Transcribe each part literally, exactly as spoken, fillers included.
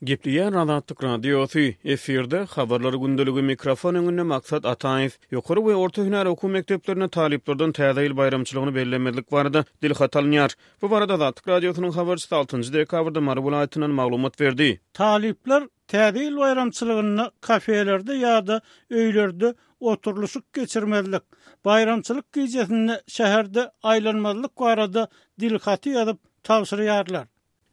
Gepleýär Azatlyk Radiosy, efirde Habarlar gündeligi, mikrofon öňünde Maksat Ataýew. Ýokary we orta hünär okuw mekdeplerinde talyplardan Täze ýyl baýramçylygyny bellemezlik barada dilhat alynýar. Bu barada Azatlyk Radiosynyň habarçysy altynjy dekabrda Mary welaýatyndan maglumat berdi. Talyplar Täze ýyl baýramçylygynda kafelerde ýa-da öýlerde oturylyşyk geçirmezlik, baýramçylyk gijesinde şäherde aýlanmazlyk barada dilhaty ýazyp tabşyrýarlar.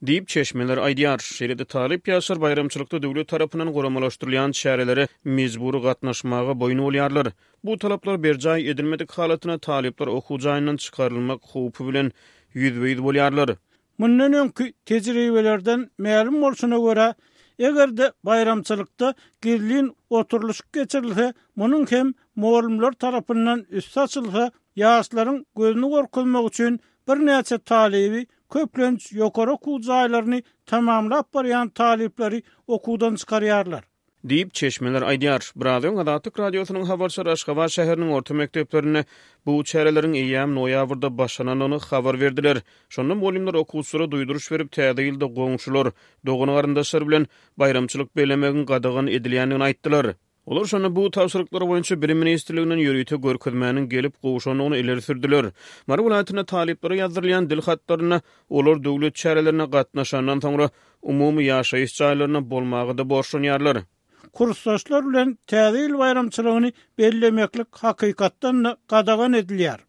Diýip, çeşmeler aýdýar. Şeýle-de talyp ýaşlar baýramçylykda döwlet tarapyndan guramalaşdyrylýan çärelere mejbury gatnaşmaga boýun bolýarlar. Bu talaplar berjaý edilmedik halatynda talyplar okuw jaýyndan çykarylmak howpy bilen ýüzbe-ýüz bolýarlar. Mundan öňki tejribelerden mälim bolşuna görä, eger-de baýramçylykda gizlin oturylyşyk geçirilse, munuň hem mugallymlar tarapyndan üsti açylsa, ýaşlaryň gözüni gorkuzmak üçin birnäçe talyby köplenç ýokary okuw jaýlaryny tamamlap barýan talyplary okuwdan çykarýarlar. Diýip, çeşmeler aýdýar. Biraz öň Azatlyk Radiosynyň habarçylary Aşgabat şäheriniň orta mekdeplerinde bu çäreleriň eýýäm noýabrda başlanandygyny habar berdiler. Şonda mugallymlar okuwçylara duýduryş berip, täze ýylda goňşular, dogan-garyndaşlar bilen baýramçylyk bellemegiň gadagan edilýändigini aýtdylar. Olar şonda bu tabşyryklar boýunça Bilim ministrliginden ýörite görkezmäniň gelip gowşandygyny ileri sürdüler. Mary welaýatynda talyplara ýazdyrylýan dil hatlarynda olar döwlet çärelerine gatnaşandan soňra umumy ýaşaýyş jaýlarynda bolmaga-da borçlanýarlar. Kursdaşlar bilen Täze ýyl baýramçylygyny bellemeklik hakykatdan-da gadagan edilýär.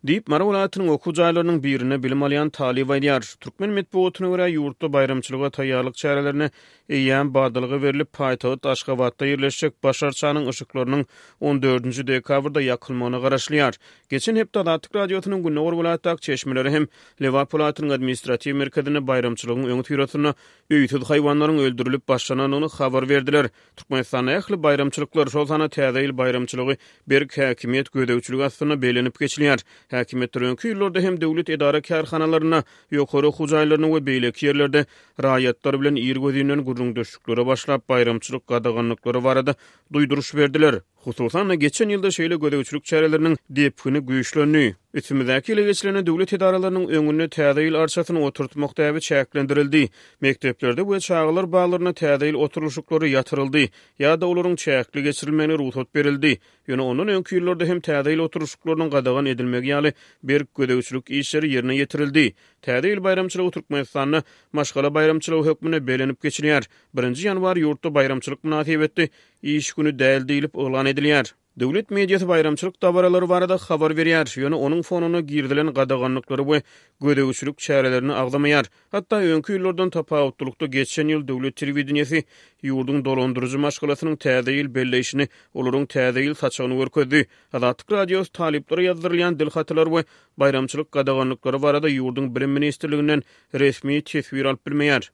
Diýip, Mary welaýatynyň okuw jaýlarynyň birinde bilim alýan talyp aýdýar. Türkmen metbugatyna görä, ýurtda baýramçylyga taýýarlyk çärelerine eýýäm badalga berlip, paýtagt Aşgabatda ýerleşjek Baş arçanyň yşyklarynyň on dördünji dekabrda ýakylmagyna garaşylýar. Geçen hepde Azatlyk Radiosynyň gündogar welaýatdaky çeşmeleri hem Lebap welaýatynyň administratiw merkezinde baýramçylygyň öňüsyrasynda öýsüz haýwanlaryň öldürilip başlanandygyny habar berdiler. Türkmenistanda ähli baýramçylyklar, şol sanda Täze ýyl baýramçylygy berk häkimiýet gözegçiligi astynda bellenip geçilýär. Häkimiýetler öňki ýyllarda hem döwlet edara-kärhanalarynda, ýokary okuw jaýlarynda we beýleki ýerlerde raýatlar bilen irgözinden gürrüňdeşliklere başlap, baýramçylyk gadaganlyklary barada duýduryş berdiler. Hususan-da, geçen ýylda şeýle gözegçilik çäreleriniň depgini güýçlendi. Üstümizdäki ýyla geçilende döwlet edaralarynyň öňünde Täze ýyl arçasyny oturtmak däbi çäklendirildi. Mekdeplerde we çagalar baglarynda Täze ýyl oturylyşyklary ýatyryldy ýa-da olaryň çäkli geçirilmegine rugsat berildi. Ýöne ondan öňki ýyllarda hem Täze ýyl oturylyşyklarynyň gadagan edilmegi ýaly berk gözegçilik işleri ýerine ýetirildi. Täze ýyl baýramçylygy Türkmenistanda maşgala baýramçylygy hökmünde bellenip geçilýär. Birinji ýanwar ýurtda baýramçylyk mynasybetli iş güni däl diýlip yglan edilýär. Döwlet mediasy baýramçylyk dabaralary barada habar berýär, ýöne onuň fonunda girizilen gadaganlyklary we gözegçilik çärelerini agzamaýar. Hatda öňki ýyllardan tapawutlylykda geçen ýyl döwlet telewideniýesi ýurduň dolandyryjy maşgalasynyň täze ýyl belleýşini, olaryň täze ýyl saçagyny görkezdi. Azatlyk Radiosy talyplara ýazdyrylýan dil hatalary we baýramçylyk gadaganlyklary barada ýurduň Bilim ministrliginden resmi teswir alyp bilmeýär.